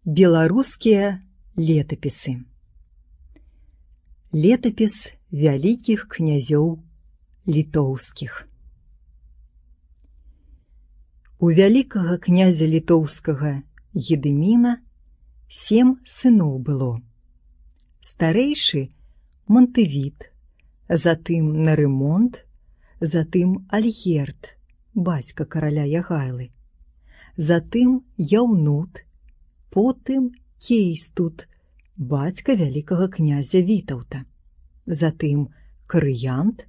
Беларускія летапісы. Летапіс вялікіх князёў літоўскіх. У вялікага князя літоўскага Гедыміна 7 сыноў было. Старэйшы Монтывід, затым Нарымонт, затым Альгерд, бацька караля Ягайлы, затым Яўнут, потым Кейстут, бацька вялікага князя Вітаўта, затым Крыянт,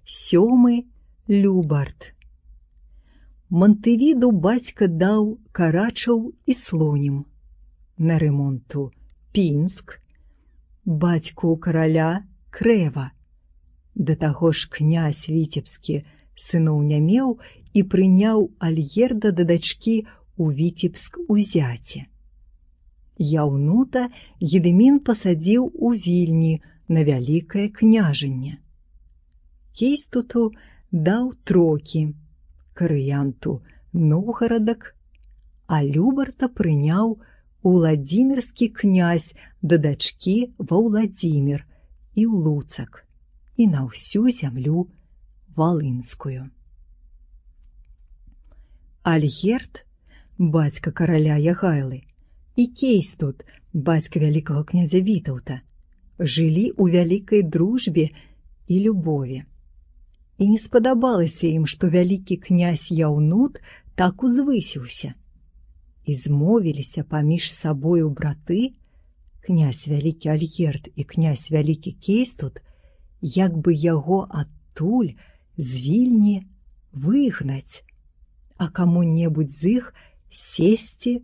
7 Любард. Монтывіду бацька даў Карачаў і Слонім, Нарымонту Пінск, бацьку караля Крэва. Да таго ж князь Віцебскі сыноў не меў і прыняў Альгерда да дачкі ў Віцебск узяце. Яўнута Гедымін пасадзіў у Вільні на вялікае княжанне. Кейстуту даў Трокі, Крыянту Новгарадак, а Любарта прыняў Уладзімірскі князь да дачкі ва Ўладзімір і ў Луцак і на ўсю зямлю валынскую. Альгерд, бацька караля Ягайлы, і Кейстут, бацька вялікага князя Вітаўта, жылі ў вялікай дружбе і любові. І не спадабалася ім, што вялікі князь Яўнут так узвысіўся. І змовіліся паміж сабою браты, князь вялікі Альгерд і князь вялікі Кейстут, як бы яго адтуль з Вільні выгнаць, а каму-небудзь з іх сесці